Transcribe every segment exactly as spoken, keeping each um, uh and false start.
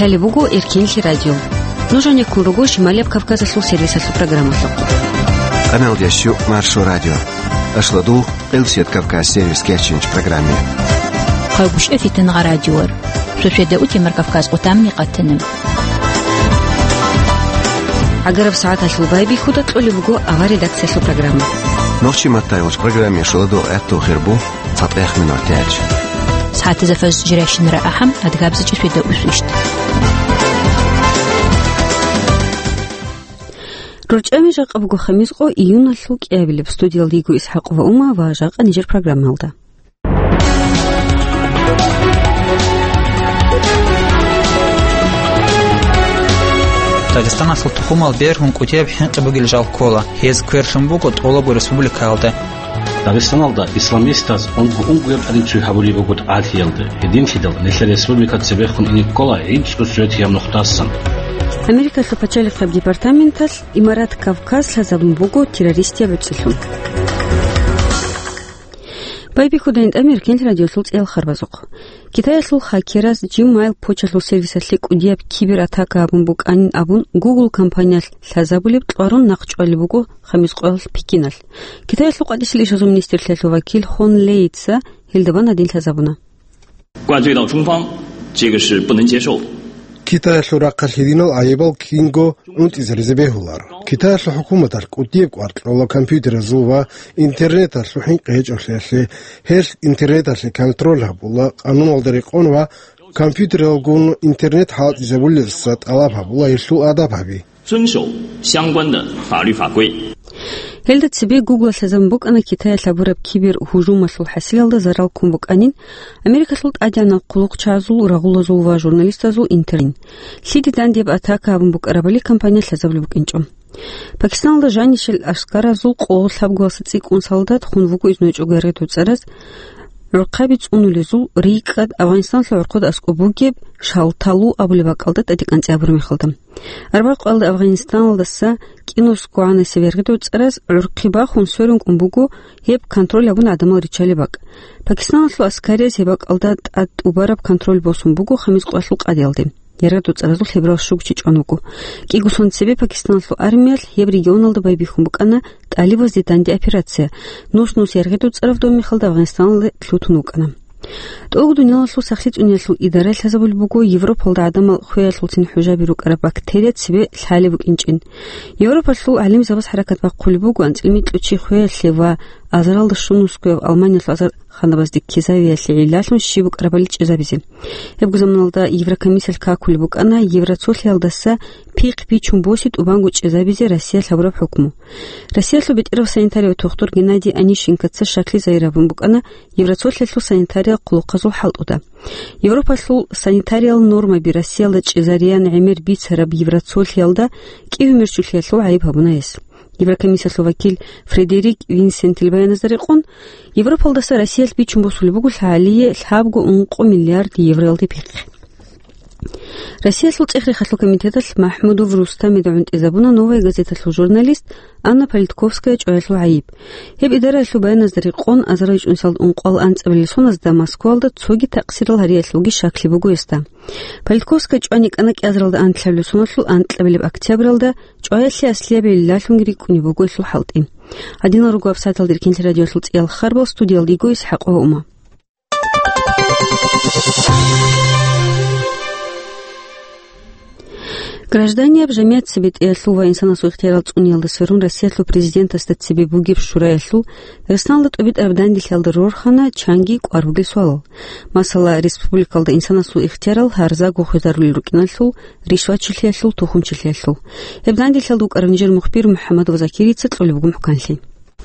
Лъалеб буго Эркенлъи радио. Нуж гьанеккун руго Шималияб Кавказалъул сервисалъул программалъухъ. Къаналдящу Маршо радио. Ашладул Къилсият Кавказ сервис кечинч программе. Хъагушев Фитнагъа радиор. Шошеда утемар Кавказ къутамни къатанам. Агараб сагӀаталъул байбихьуда кьолеб буго авар редакциялъул программа. Нохчи маттайгъуч программе шуладул гӀаттул хирбу. ЦатӀехъ минутач. СагӀатазда фаз жирайщинара ахӀам, адгабзачӀи шведа усвищ. РорчӀами жакъа буго хамис къо июналъул кӀиабилеб. Студиялда йиго ИсхӀакъова Ума ва жакъа нижер программалда. Дагъистаналъул тухумал бергьун кӀудияб хӀинкъи бугел жал ккола. Гьез кверлъун буго тӀолабго республикаялда. Дагъистаналда исламистаз унго-унгояб тӀадиб цой гьабулеб буго тӀагӀалъиялда. Гьединлъидал нилъер республика цебехун ине ккола гӀинцӀго суретияб нухдасан. Америкалъул пачалихъаб департаменталъ Имарат Кавказ лъазабун буго террористияб гӀуцӀилъун. Байбихьуда гьитӀамир кент радиолъул цӀиял харбазухъ. Китаялъул хакераз Gmail почталъул сервисалъе кӀудияб кибератака гьабун букӀанин абун, Google компаниялъ лъазабулеб кьварун нахъ чӀвалеб буго хамис къоялъ Пекиналъ. Китаялъул къватӀисел ишазул министрлъиялъул вакил Хон Лейца гьелда бан гьадин лъазабуна. 灌罪到中方，这个是不能接受的。 Китаялъул рахъалъ гьединал гӀайибал кинго гӀунтӀизаризе бегьуларо. Китаялъул хӀукуматалъ кӀудияб кӀвар кьола компьютеразул ва интернеталъул хӀинкъи гьечӀолъиялъе, гьелъ интернеталъе контроль гьабула къануналда рекъон ва компьютералгун интернет хӀалтӀизабулелдаса тӀалаб гьабула гьелъул адаб гьаби. 遵守相关的法律法规。 Гьелда цебе Google лъазабун букӀана Китаялъ гьабураб кибергьужумалъул хӀасилалда зарал ккун букӀанин, Америкалъул тӀадегӀанал хъулухъчагӀазул, рагъулазул ва журналистазул интернет. Лъиде дандияб атака гьабун букӀарабали компания лъазабулеб букӀинчӀо. Пакистаналда жанищел аскаразул къо лъабгоялдаса цӀикӀкӀун солдат хун вуго изнойчӀого яргъи доцӀараз, гӀурхъаби цӀунулезул рикӀкӀад Афганистаналъул гӀорхъода аскӀоб бугеб Шалталу абулеб бакӀалда тӀадекӀанцӀи абураб мехалда. Арбакъоялда Афганистаналдаса кӀинусгогӀанасеб яргъи доцӀараз гӀурхъи бахун сверун кӀун буго гьеб контроль гьабун гӀадамал риччалеб бакӀ. Пакистаналъул аскариз гьеб бакӀалда тӀад тӀубараб контроль босун буго хамис къоялъул къадиялде. Яргъи доцӀаразул лъеберал щуго чи чӀван вуго. КӀиго сон цебе Пакистаналъул армиялъ гьеб регионалда байбихьун букӀана тӀалибазде данде операция. Нус-нус яргъи доцӀараб доб мехалда Афганистаналде лъутун вукӀана. ТӀолго дуниялалъул сахлъи цӀуниялъул идара лъазабулеб буго Европалда гӀадамал хвеялъулцин хӀужаби рукӀараб бактерия цебе лъалеб букӀинчӀин. Европалъул гӀалимзабаз хӀаракат бахъулеб буго анцӀила микьго чи хвеялъе ва азаралда щунусгояб Алманиялъул азарханабазде кизавиялъе гӀиллалъун щиб букӀарабали чӀезабизе. Гьебго заманалда Еврокомиссиялъ какулеб букӀана Евроцолъиялдаса пихъ бичун боси тӀубанго чӀезабизе Россиялъ гьабураб хӀукму. Россиялъул бетӀерав санитарияв тухтур Геннадий Онищенкоца щаклъи загьир гьабун букӀана Евроцолъиялъул санитариял хъулухъазул хӀалтӀуда. Европалъул санитариял нормаби Россиялда чӀезариян гӀемер бицараб Евроцолъиялда кӀиго мерчулъиялъул гӀайиб гьабуна гьес. Еврокомиссиялъул вакил Фредерик Винсентил баяназда рекъон, Европалдаса Россиялъ бичун босулеб буго лъалие лъабго ункъо миллиард евроялде пихъ. Россиялъул цӀех-рехалъул комитеталъ МахӀмудов Рустамида гӀунтӀизабуна «Новая газеталъул» журналист Анна Политковская чӀваялъул гӀайиб. Гьеб идараялъул баяназда рекъон, азарал чӀунсалда ункъоялда анцӀабилеб соназда Москвалда цоги такъсирал гьариялъулги щаклъи буго гьесда. Политковская чӀван йикӀана кӀиазаралда анлъабилеб соналъул анкьабилеб октябралда, чӀваялъе аслияб гӀиллалъунги рикӀкӀунеб буго гьелъул хӀалтӀи. Гьадинал руго гьаб сагӀаталда Эркенлъи радиоялъул цӀиялъ харбал, студиялда йиго ИсхӀакъова Ума. Гражданияб жамигӀат цебетӀеялъул ва инсанасул ихтиярал цӀуниялда сверун Россиялъул президентасда цебе бугеб шураялъул Дагъистаналда тӀубитӀараб данделъиялда рорхана чанги кӀвар бугел суалал. Масала, республикалда инсанасул ихтиярал гьарзаго хвезарулел рукӀиналъул, ришватчилъиялъул, тухумчилъиялъул. Гьеб данделъиялда вукӀарав нижер мухбир МухӀаммадов Закирица кьолеб буго мухӀканлъи.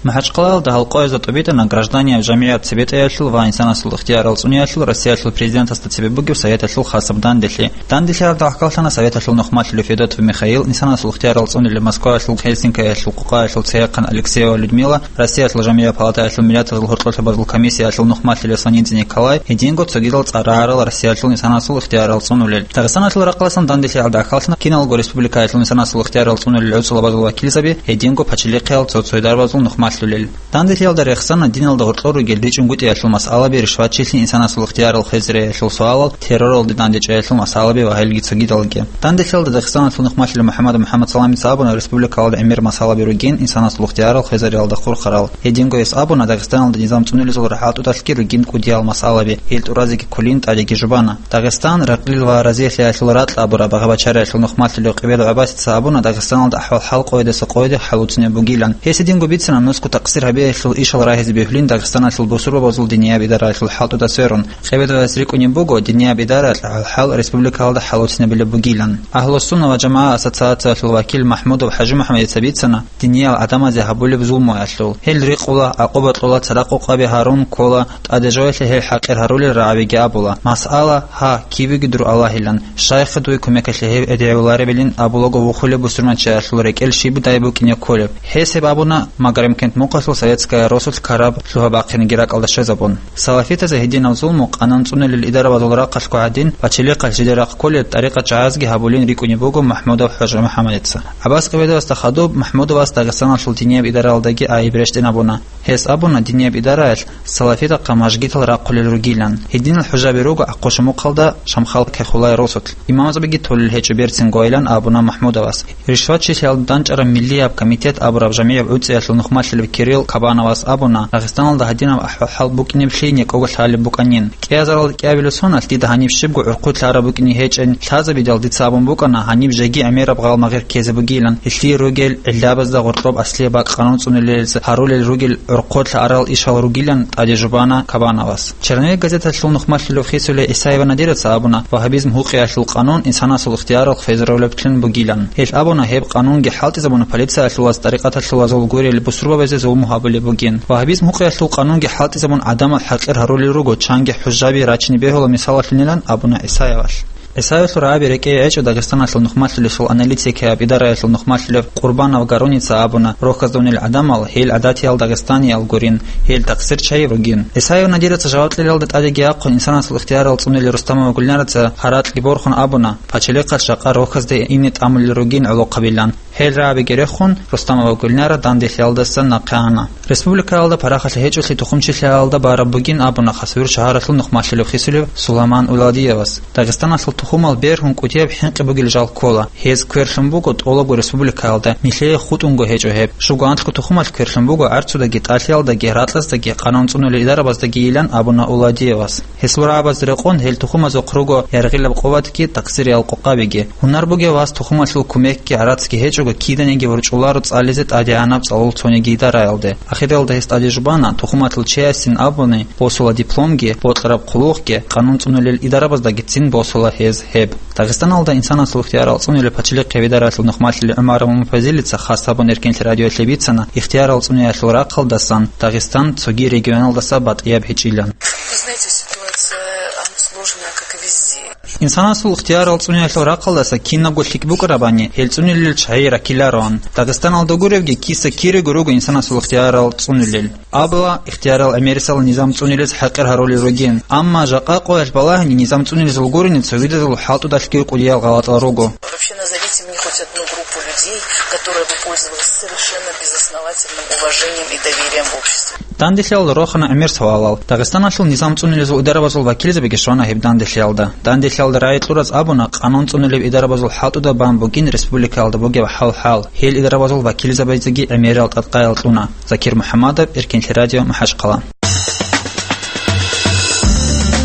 МахӀачхъалаялда гьал къоязда тӀубитӀана гражданияб жамигӀат цебетӀеялъул ва инсанасул ихтиярал цӀуниялъул Россиялъул президентасда цебе бугеб Советалъул хасаб данделъи. Данделъиялда гӀахьаллъана Советалъул нухмалъулев Федотов Михаил, инсанасул ихтиярал цӀунилев Москваялъул, Гельсинкиялъул, Къукъаялъул Цейхъан Алексеева Людмила, Россиялъул жамигӀат палатаялъул миллатазул гьоркьотлъабазул комиссиялъул нухмалъулев Санидзе Николай, гьединго цогидал цӀар рагӀарал Россиялъул инсанасул ихтиярал цӀунулел. Дагъистаналъул ракъласан данделъиялда гӀахьаллъана киналго республикаялъул инсанасул ихтиярал цӀунулел гӀуцӀулабазул вакилзаби, гьединго пачалихъиял цо-цоял дарбазул нухмал малъулел. Данделъиялда рехсана диналда гьоркьор ругел ричӀунгутӀиялъул масъалаби, ришватчилъи, инсанасул ихтиярал хвезариялъул суалал, терроралде дандечӀеялъул масъалаби ва гьелги цогидалги. Данделъиялда Дагъистаналъул нухмалъулев МухӀаммад МухӀаммад Саламица абуна, республикалалда гӀемер масъалаби ругин инсанасул ихтиярал хвезариялда хурхарал. Гьединго гьес абуна, Дагъистаналда низам цӀунулезул рахӀалтӀудалъги ругин кӀудиял масъалаби, гьел тӀуразеги кколин тӀадеги жубана. Дагъистан, ракълил ва разилъиялъул ракь абураб багъа-бачариялъул нухмалъулев Къибеда ГӀабасица абуна, Дагъистаналда ахӀвал-хӀал къоядаса къояде хӀалуцинеб бугилан. Гьес гьединго бицана нусго такъсир гьабиялъул ишал рагьизе бегьулин Дагъистаналъул бусурбабазул динияб идараялъул хӀалтӀуда сверун. Къибедавас рикӀкӀунеб буго, динияб идараялъ гьал республикалалда хӀалуцинабилеб бугилан. Агьлу-сунна ва жамагӀа ассоциациялъул вакил МахӀмудов ХӀажимухӀаммадица бицана, диниял гӀадамазе гьабулеб зулмуялъул. Гьел рикъула, гӀакъуба кьола, цадахъ къокъаби гьарун ккола, тӀаде жоялъе гьел хӀакъир гьарулел рагӀабиги абула. Масъала, гьа, кибеги дур Аллагьилан, щайха дуе кумекалъе гьев эдегӀуларебилин абулаго вухулеб бусурманчиялъул рекӀел щибдай букӀине кколеб. Гьес гьеб абуна, Магарамкент мухъалъул Советская росулъ ккараб лъугьа-бахъинги ракӀалда щвезабун. Салафитазе гьединаб зулму къанун цӀунулел идарабазул рахъалъго гьадин, пачалихъалъ жидер рахъ кколеб тӀарикъат жагьазги гьабулин рикӀкӀунеб буго МахӀмудов ХӀажимухӀаммадица. ГӀаббас Къибедовасда хадуб МахӀмудовас Дагъистаналъул динияб идаралдаги айиб рещтӀинабуна. Гьес абуна, динияб идараялъ салафитахъа мажгитал рахъулел ругилан. Гьединал хӀужаби руго Ахъушамухъалда Шамхал Кайхуллай росулъ. Имамзабиги толел гьечӀо берцинго, айлан абуна МахӀмудовас. Ришватчилъиялда данчӀараб Миллияб комитет абураб жамигӀиб гӀуцӀиялъул нухмалъулев Кирилл Кабановас абуна, Дагъистаналда гьадинаб ахӀвал-хӀал букӀинеблъи некӀого лъалеб букӀанин. КӀиазаралда кӀиабилеб соналъ дида гьаниб щибго гӀурхъулъ араб букӀине гьечӀин лъазабидал дица абун букӀана, гьаниб жеги гӀемераб гъалмагъир ккезе бугилан, гьелъие ругел гӀиллабазда гъоркьоб аслияб бакӀ къанун цӀунулелез гьарулел ругел гӀурхъулъ арал ишал ругилан тӀаде жубана Кабановас. Черновик газеталъул нухмалъулев хисулев Исаева Надираца абуна, вагьабизм гьукъиялъул къанун инсанасул ихтиярал хвезарулеблъун бугилан. Гьелъ абуна, гьеб къанунги хӀалтӀизабуна полициялъулаз, тӀарикъаталъулазул гурел бусурбабазе зулму гьабулеб бугин. Вагьабизм гьукъиялъул къанунги хӀалтӀизабун гӀадамал хӀакъир гьарулел руго, чанги хӀужаби рачине бегьула мисалалъунилан абуна Исаевалъ. Исаевалъул рагӀаби рекӀее гьечӀо Дагъистаналъул нухмалъулесул аналитикияб идараялъул нухмалъулев Къурбанов Гаруница абуна, рохьаздавнил гӀадамал гьел гӀадатиял дагъистаниял гурин, гьел такъсирчагьи ругин. Исаев Надираца жаваб кьелалда тӀадеги ахъун инсанасул ихтиярал цӀунили Рустамова Гульнараца гьаракьги борхун абуна, пачалихъалъ жакъа рохьазде ине тӀамулел ругин гӀолохъабилан. Гьел рагӀабиги рехун, Рустамова Гульнара данделъиялдаса нахъе ана. Республикаялда парахалъи гьечӀолъи тухумчилъиялда бараб бугин абуна Хасавюрт шагьаралъул нухмалъулев хисулев Суламан Уладиевас. Дагъистаналъул тухумал бергьун кӀудияб хӀинкъи бугел жал ккола. Гьез кверлъун буго тӀолабго республикаялда, нилъее хутӀунго гьечӀо гьеб. Щуго анлъго тухумалъ кверлъун буго гӀарцудаги, тӀалъиялдаги, ракьаздаги, къанун цӀунулел идарабаздагийилан абуна Уладиевас. Гьесул рагӀабазда рекъон гьел тухумазухъ руго яргъилаб къуватги, такъсириял къокъабиги. Гьунар бугев вас тухумалъул кумекги гӀарацги гьечӀого киданиги ворчӀуларо цӀализе тӀадегӀанаб цӀалул цониги идараялде. Ахиралда гьес тӀаде жубана, тухумалъул чиясин абуни босула дипломги, бокьараб хъулухъги, къанун цӀунулел идарабаздагицин босула гьез гьеб. Дагъистаналда инсанасул ихтиярал цӀунулел пачалихъ гьеб идаралъул нухмалъулев ГӀумаров Мумпазилица хас гьабун Эркенлъи радиоялъе бицана, ихтиярал цӀунеялъул рахъалдасан Дагъистан цоги регионалдаса батӀияб гьечӀилан. Вы знаете, ситуация, она сложная, как и везде. Инсанасул ихтиярал цӀунеялъул рахъалдаса кинабго лъикӀ букӀарабани, гьел цӀунилел чагӀи раккилароан. Дагъистаналда гуревги, киса кирего руго инсанасул ихтиярал цӀунилел. Абула, ихтиярал гӀемерисел низам цӀунилез хӀакъир гьарулел ругин. Амма жакъа къоялъ балагьани, низам цӀунилезул гурони цогидазул хӀалтӀудалъги кӀудиял гъалатӀал руго. Вообще назовите мне хоть одну группу людей, которая бы пользовалась совершенно безосновательным уважением и доверием в обществе. Данделъиялда рохана гӀемер суалал. Дагъистаналъул низам цӀунилезул идарабазул вакилзабиги щвана гьеб данделъиялда. Данделъиялда рагӀи кьураз абуна, къанун цӀунулеб идарабазул хӀалтӀуда бан бугин республикаялда бугеб хӀал-хӀал. Гьел идарабазул вакилзабазеги гӀемерал тӀадкъаял кьуна. Закир МухӀаммадов, Эркенлъи радио, МахӀачхъала.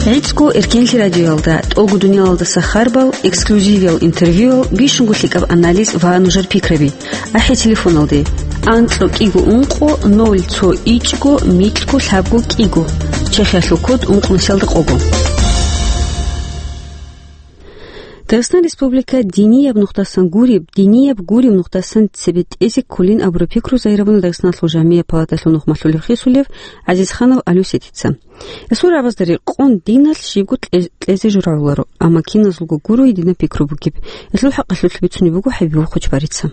ГӀицӀго Эркенлъи радиоялда тӀолго дуниялалдаса харбал, эксклюзивиял интервьюял, бищунго лъикӀаб анализ ва нужер пикраби. АхӀе телефоналде: анкьго кӀиго ункъо ноль цо ичӀго микьго лъабго кӀиго, Чехиялъул код ункънусиялда къого. Дагъистан Республика динияб нухдасан гуреб, динияб гуреб нухдасан цебетӀезе кколин абураб пикру загьирабуна Дагъистаналъул жамияб палаталъул нухмалъулев хисулев ГӀазизханов Алюсетица. Гьесул рагӀабазда рекъон диналъ щибго кье-, кьезе журагӀуларо, амма киназулго гуро гьединаб пикру бугеб. Гьелъул хӀакъалъулъ бицунеб буго ХӀабибул Хъучбарица.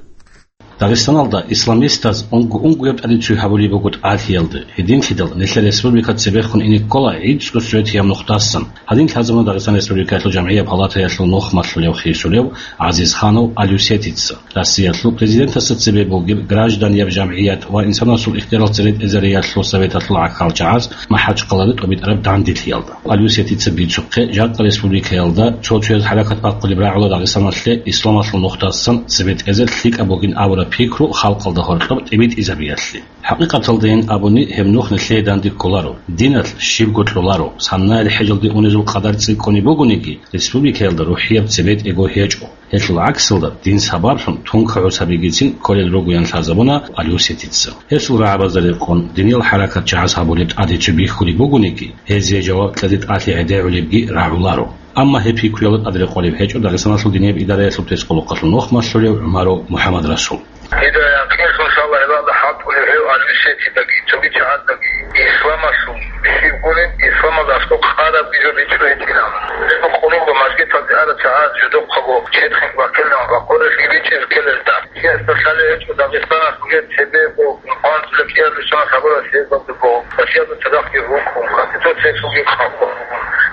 Дагъистаналда исламистаз унго-унгояб тӀадицуй гьабулеб буго тӀалъиялда. Гьединлъидал нилъер республика цебехун ине ккола гӀицӀго светияб нухдасан. Гьадин лъазабуна Дагъистан Республикаялъул жамгӀияб палатаялъул нух малъулев хисулев ГӀазизханов Алюсетица. Россиялъул президентасда цебе бугеб гражданияб жамгӀият ва инсанасул ихтиярал церетӀезариялъул советалъул гӀахьалчагӀаз МахӀачхъалада тӀобитӀараб данделъиялда. Алюсетица бицухъе, жакъа республикаялда цо-цояз хӀаракат бахъулеб рагӀула Дагъистаналъе исламалъул нухдасан цебетӀезе лъикӀаб бугин абураб пикру халкъалда гьоркьоб тӀибитӀизабиялъе. ХӀакъикъаталдайин абуни, гьеб нух нилъее данде кколаро, диналъ щибго кьоларо, саннаял хӀежалде унезул къадар цӀикӀкӀунеб бугониги, республикаялда рухӀияб цебетӀего гьечӀо. Гьелъул гӀаксалда, дин сабаблъун тункагӀур сабигицин кколел ругоян лъазабуна Алюсетица. Гьесул рагӀабазда рекъон, диниял хӀаракатчагӀаз гьабулеб тӀадицу бихьулеб бугониги, гьезие жаваб кьезе тӀалъи гӀедегӀулебги рагӀуларо. Амма гьеб пикруялда тӀад рекъолеб гьечӀо Дагъистаналъул динияб идараялъул тӀоцӀолъухъалъул нух малъулев ГӀумаров МухӀаммадрасул. Дида якъинлъун лъала гьебалда хӀалтӀулев гьев Алюсетидаги цоги чагӀаздаги исламалъул щиб гуреб, исламалда аскӀоб къарабги жо бичӀчӀулеб гьечӀилан. Гьеб къуллуго мажгиталде арал чагӀаз жидехъаго четхин баккилан ва къоролъи бичӀчӀизе ккелелда. Чиясда лъалеб гьечӀо Дагъистаналъ бугеб цебего къванцӀулеб кӀиабилеб соналъ гьабураб хӀезабго, Россиялда цадахъги рукӀун, Конституциялъулги хъалхъун.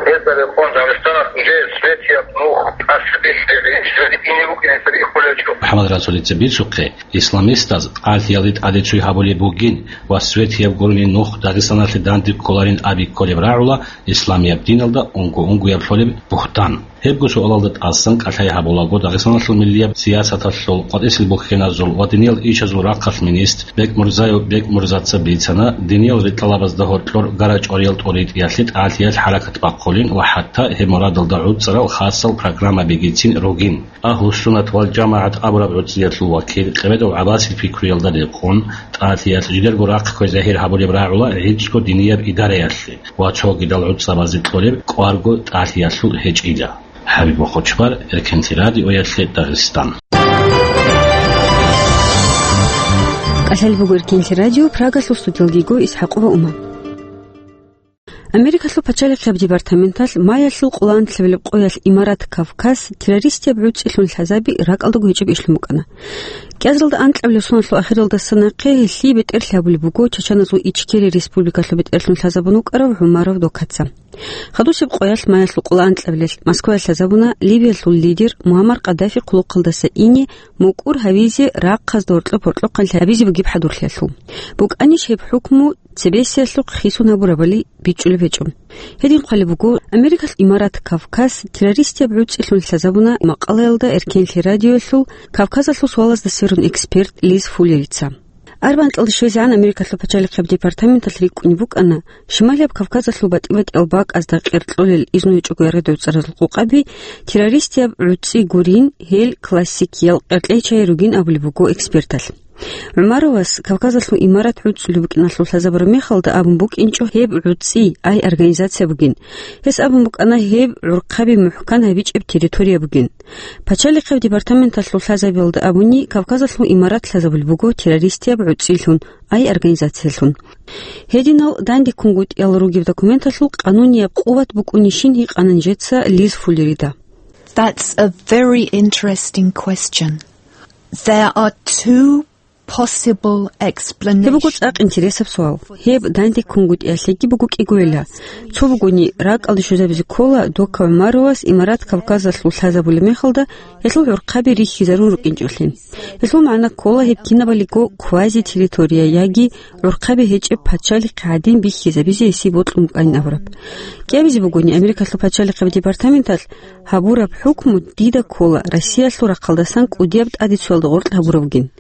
Гьезда рекъон Дагъистаналъ уже светияб нух тӀаса бихьи, ине букӀине саби иххулев гьечӀо. МухӀаммадрасулица бицухъе, исламистаз тӀалъиялде тӀадицуй гьабулеб бугин ва светияб гурони нух Дагъистаналъе данде кколарин аби кколеб рагӀула исламияб диналда унго-унгояб лъолеб бугьтан. Гьебго суалалда тӀасан кӀалъай гьабулаго Дагъистаналъул миллияб сиясаталъул, къватӀисел бухьеназул ва диниял ишазул рахъалъ министр Бекмурзаев Бекмурзаца бицана, диниял ритӀалабазда гьоркьор гара-чӀвариял тӀоритӀиялъе тӀалъиялъ хӀаракат бахъулин ва хӀатта гьеб мурадалда гӀуцӀарал хасал программа бигицин ругин. Агьлу-суннат вал жамагӀат абураб гӀуцӀиялъул вакил, Къемедов ГӀаббасил пикруялда рекъон, тӀалъиялъ жидерго рахъ ккве загьир гьабулеб рагӀула гӀицӀго динияб идараялъе ва цогидал гӀуцӀабазе кьолеб кӀварго тӀалъиялъул гьечӀила. ХӀабиб Мухъучбар, Эркенлъи радиоялъе Дагъистан. КӀалъалеб буго Эркенлъи радио, Прагалъул студиялдего ИсхӀакъова Ума. Америкалъул пачалихъияб департаменталъ маялъул къоло анлъабилеб къоялъ имарат Кавказ террористияб гӀуцӀилъун лъазаби ракӀалдаго гьечӀеб ишлъун букӀана. КӀиазалда анкьабилеб соналъул ахиралдаса нахъе гьелъие бетӀерлъи гьабулеб буго Чачаназул Ичкерия республикалъул бетӀерлъун лъазабун вукӀарав ГӀумаров Докаца. Хадусеб къоялъ маялъул къоло анкьабилелъ Москваялъ лъазабуна Ливиялъул лидер Муаммар Каддафи хъулухъалдаса ине мукӀур гьавизе рахъазда гьоркьоб-гьоркьохъанлъи гьабизе бугеб хӀадурлъиялъул. БукӀанищ гьеб хӀукму цебесиялъухъ хисун гьабурабали бичӀчӀулеб гьечӀо. Гьедин хъвалеб буго, Америкалъ имарат Кавказ террористияб гӀуцӀилъун лъазабуна макъалаялда Эркенлъи радиоялъул Кавказалъул суалазда сверун эксперт Лиз Фуллерица. Арбан кьалда щвезегӀан Америкалъул пачалихъияб департаменталъ рикӀкӀунеб букӀана, Шималияб Кавказалъул батӀи-батӀиял бакӀазда къеркьолел изну гьечӀого яргъи доцӀаразул къокъаби террористияб гӀуцӀи гурин, гьел классикиял къеркьейчагьи ругин абулеб буго эксперталъ. ГӀумаровас Кавказалъул имарат гӀуцӀулеб букӀиналъул лъазабураб мехалда абун букӀинчӀо гьеб гӀуцӀи, ай организация бугин. Гьес абун букӀана гьеб гӀурхъаби мухӀкан гьабичӀеб территория бугин. Пачалихъияб департаменталъул лъазабиялда абуни, Кавказалъул имарат лъазабулеб буго террористияб гӀуцӀилъун, ай организациялъун. Гьединал дандеккунгутӀиялда ругеб документалъул къанунияб къуват букӀунищин гьикъана нижеца Лиз Фуллерида. That's a very interesting question. There are two possible explanations. Гьеб буго цӀакъ интересаб суал. Гьеб дандеккунгутӀиялъеги буго кӀигойила. Цо бугони, ракӀалде щвезабизе ккола Дока ГӀумаровас имарат Кавказалъул лъазабулеб мехалда гьелъул гӀурхъаби рихьизарун рукӀинчӀолъи. Гьелъул магӀна ккола гьеб кинабалиго квазитерритория яги гӀурхъаби гьечӀеб пачалихъ гӀадин бихьизабизе гьесие бокьун букӀанин абураб. КӀиабизе бугони, Америкалъул пачалихъияб департаменталъ гьабураб хӀукму дида ккола Россиялъул рахъалдасан кӀудияб тӀадицуялда гъоркь гьабурабгин.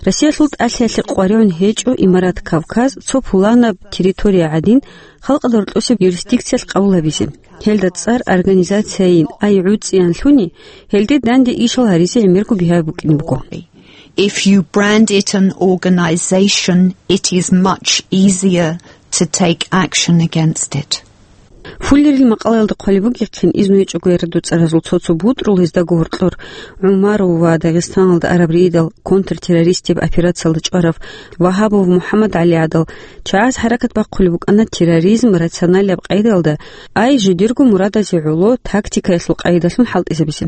Россиялъул тӀалъиялъе къваригӀун гьечӀо имарат Кавказ цо пуланаб территория гӀадин, халкъалда гьоркьосеб юрисдикциялъ къабул гьабизе. Гьелда цӀар организацияйин, ай гӀуцӀиян лъуни, гьелде данде ишал гьаризе гӀемерго бигьаяб букӀине буго. If you brand it an organization, it is much easier to take action against it. Фуллерил макъалаялда хъвалеб бугехъин, изну гьечӀого ярадуцӀаразул цо-цо бутӀрул, гьездаго гьоркьор ГӀумаров ва Дагъистаналда араб рейдал контртеррористияб операциялда чӀварав Вагьабов МухӀаммад ГӀали гӀадал чагӀаз хӀаракат бахъулеб букӀана терроризм рационалияб къайдаялда, ай жидерго мурадазе гӀоло тактикаялъул къайдалъун хӀалтӀизабизе.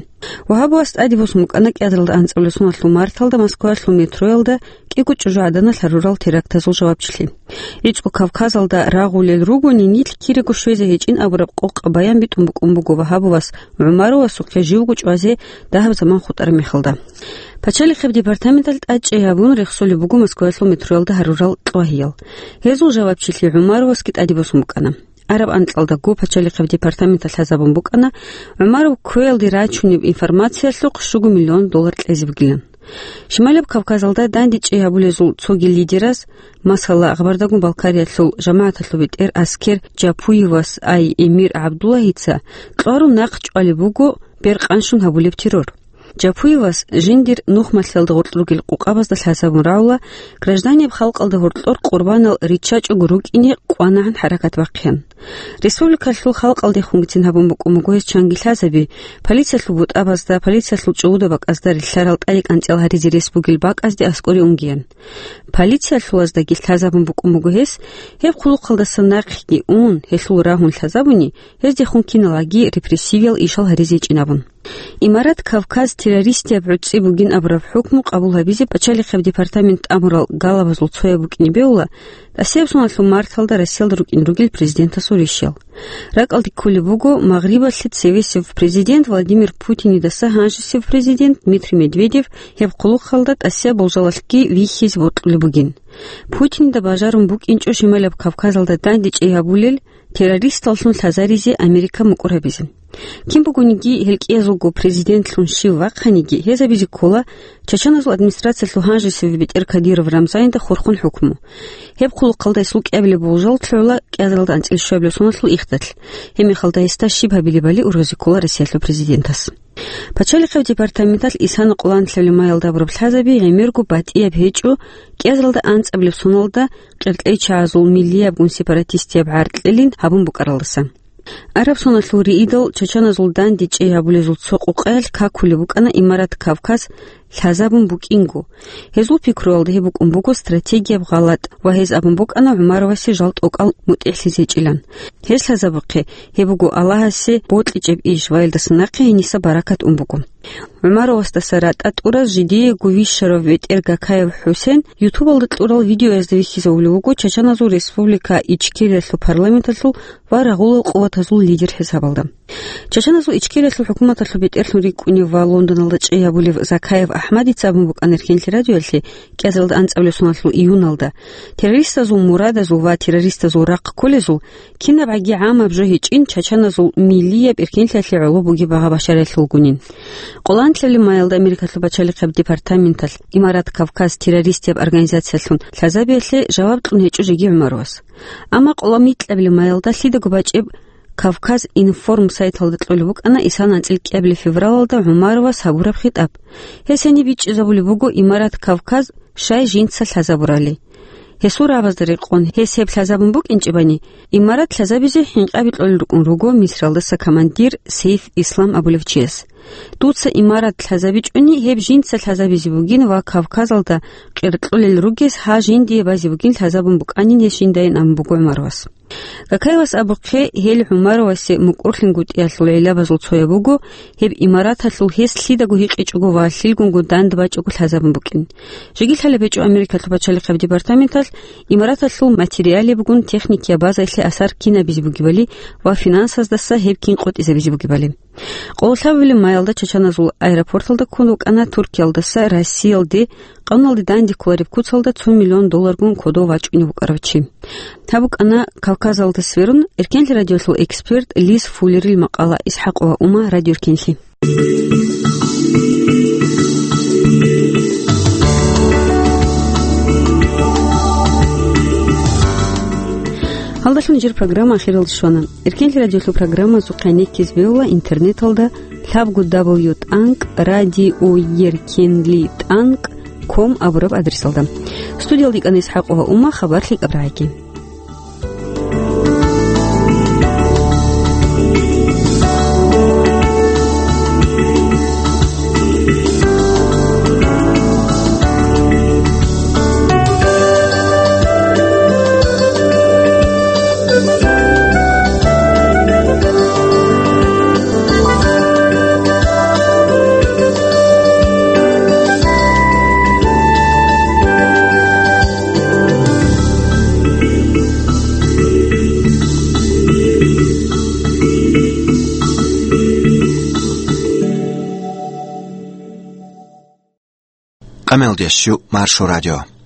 Вагьабовас тӀаде босун букӀана кӀиазаралда анцӀабилеб соналъул марталда Москваялъул метроялда кӀиго чӀужугӀаданалъ гьарурал терактазул жавабчилъи. ГӀицӀго Кавказалда рагъулел ругони, нилъ кириго щвезе гьечӀин абураб къокъаб баян битӀун букӀун буго Вагьабовас ГӀумаровасухъе живго чӀвазе дагьаб заман хутӀараб мехалда. Пачалихъеб департаменталъ тӀадчӀей гьабун рехсолеб буго Москваялъул метроялда гьарурал кьвагьиял. Гьезул жавабчилъи ГӀумаровасги тӀаде босун букӀана. Араб анкьалдаго пачалихъеб департаменталъ лъазабун букӀана, ГӀумаров кквеялде рачунеб информациялъухъ щуго миллион доллар кьезе бугилан. Шималаб Кавказалда дандечӀей гьабулезул цоги лидераз, масала, Гъабардагун Балкариялъул жамагӀаталъул бетӀер аскер Жапуевас ай Эмир ГӀабдуллагьица кьварун нахъ чӀвалеб буго беркъанщун гьабулеб террор. Жапуевас жиндир нухмалъиялда гъоркь ругел къукъабазда лъазабун рагӀула гражданияб халкъалда гьоркьор къурбанал риччачӀого рукӀине къванагӀан хӀаракат бахъеян. Республикалъул халкъалдехунгицин гьабун букӀун буго гьес чанги лъазаби, полициялъул бутӀабазда, полициялъул чӀугӀуда бакӀазда рилълъарал тӀаде кӀанцӀал гьаризе рес бугел бакӀазде аскӀоре унгеян. Полициялъулаздаги лъазабун букӀун буго гьес, гьеб хъулухъалдаса нахъеги ун, гьелъул рагьун лъазабуни, гьездехун киналги репрессивиял ишал гьаризе гьечӀин абун. Имарат Кавказ террористияб гӀуцӀи бугин абураб хӀукму къабул гьабизе пачалихъеб департамент тӀамурал галабазул цояб букӀине бегьула тӀасияб соналъул марталда Россиялда рукӀин ругел президентасул ришиял. РакӀалде кколеб буго Магърибалъе цевесев президент Владимир Путинидаса гьанжесев президент Дмитрий Медведев гьеб хъулухъалда тӀасияб болжалалъги вихьизе бокьулеб бугин. Путинида бажарун букӀинчӀо Шималаб Кавказалда дандечӀей гьабулел террористаллъун лъазаризе Америка мукӀур гьабизе. Кин бугониги, гьел кӀиязулго президентлъун щив вахъаниги, гьезабизе ккола чачаназул администрациялъул гьанжесев бетӀер Кадиров Рамзанида хурхун хӀукму. Гьеб хъулухъалда гьесул кӀиабилеб болжал лъугӀула кӀиазаралда анцӀила щуабилеб соналъул ихталъ. Гьебмехалда гьесда щиб гьабилебали ургъазе ккола Россиялъул президентас. Пачалихъеб департаменталъ исана къоланлъабилеб маялда абураб лъазаби гӀемерго батӀияб гьечӀо, кӀиазаралда анцӀабилеб соналда къеркьейчагӀазул миллиябгун сепаратистияб гӀаркьилин гьабун букӀаралдаса. Араб соналъул рейдал чачаназул дандечӀей гьабулезул цо къукъаялъ какулеб букӀана Имарат Кавказ лъазабун букӀинго. Гьезул пикруялда гьеб букӀун буго стратегияб гъалатӀ ва гьез абун букӀана ГӀумаровасе жал тӀокӀал мутӀигӀлъизе гьечӀилан. Гьез лъазабухъе, гьеб буго Аллагьасе бокьичӀеб иш ва гьелдаса нахъе гьениса баракат ун буго. ГӀумаровасдаса ратӀа тӀураз жидеего вищарав бетӀер Гакаев ХӀусен ютубалда кьурал видеоязда вихьизавулев вуго Чачаназул Республика Ичкериялъул парламенталъул ва рагъулал къуватазул лидер хӀисабалда. Чачаназул Ичкериялъул хӀукуматалъул бетӀерлъун рикӀкӀунев ва Лондоналда чӀей гьабулев Закаев АхӀмадица абун букӀана Эркенлъи радиоялъе кӀиазаралда анцӀабилеб соналъул июналда, террористазул мурадазул ва террористазул рахъ кколезул кинабгӀаги гӀамаб жо гьечӀин чачаназул миллияб эркенлъиялъе гӀоло бугеб багъа башариялъулгунин. Къоланлъабилеб маялда Америкалъул пачалихъеб департаменталъ Имарат Кавказ террористияб организациялъун лъазабиялъе жаваб кьун гьечӀо жеги ГӀумаровас. Амма къоло микьабилеб маялда лъидаго бачӀеб Кавказ Информ сайталда кьолеб букӀана исана анцӀила кӀиабилеб февралалда ГӀумаровас гьабураб хитӀаб. Гьес гьениб бичӀчӀизабулеб буго Имарат Кавказ щай жинца лъазабурали. Гьесул рагӀабазда рекъон, гьес гьеб лъазабун букӀинчӀебани, Имарат лъазабизе хӀинкъаби кьолел рукӀун руго Мисралдаса командир Сейф Ислам абулев чияс. Дуца Имарат лъазабичӀони, гьеб жинца лъазабизе бугин ва Кавказалда къеркьулел ругес гьа жиндие базе бугин лъазабун букӀанин гьес жиндайин абун буго ГӀумаровас. Гакаевас абухъе, гьел ГӀумаровасе мукӀурлъингутӀиялъул гӀиллабазул цояб буго, гьеб Имараталъул гьес лъидаго гьикъичӀого ва лъилгунго дандбачӀого лъазабун букӀин. Жеги лъалеб гьечӀо Америкалъул пачалихъеб департаменталъ Имараталъул материалебгун техникияб базаялъе асар кин гьабизе бугебали ва финансаздаса гьеб кин къотӀизабизе бугебали. Къоло лъабабилеб маялда чачаназул аэропорталда ккун вукӀана Туркиялдаса Россиялде къануналде данде кколареб куцалда цо миллион долларгун кодов вачӀунев вукӀарав чи. Гьаб букӀана Кавказалда сверун Эркенлъи радиолъул эксперт Лиз Фуллерил макъала. ИсхӀакъова Ума, Радио Эркенлъи. Гьалдалъун жир программа ахиралде щвана. Эркенлъи радиолъул программазухъ гӀенеккизе бегьула интернеталда лъабго дабл ю тӀанкӀ радио еркенлъи тӀанкӀ ком абураб адресалда. Студиялда йикӀана ИсхӀакъова Ума, хабар лъикӀаб рагӀаги. Мелдешлъу Маршо радио.